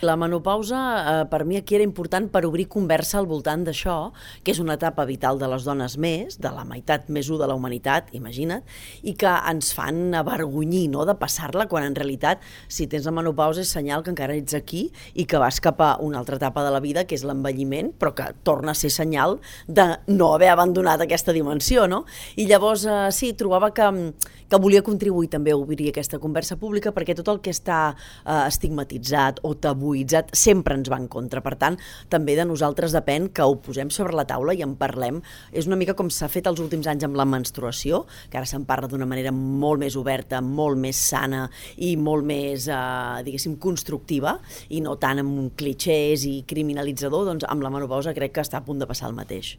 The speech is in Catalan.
La menopausa, per mi aquí era important per obrir conversa al voltant d'això, que és una etapa vital de les dones més, de la meitat més u de la humanitat, imagina't, i que ens fan avergonyir, no?, de passar-la, quan en realitat, si tens la menopausa és senyal que encara ets aquí i que vas cap a una altra etapa de la vida, que és l'envelliment, però que torna a ser senyal de no haver abandonat aquesta dimensió, no? I llavors, sí, trobava que volia contribuir també a obrir aquesta conversa pública, perquè tot el que està estigmatitzat o tabuitzat sempre ens va en contra. Per tant, també de nosaltres depèn que ho posem sobre la taula i en parlem. És una mica com s'ha fet els últims anys amb la menstruació, que ara se'n parla d'una manera molt més oberta, molt més sana i molt més, diguéssim, constructiva, i no tant amb clichés i criminalitzador. Doncs amb la menopausa crec que està a punt de passar el mateix.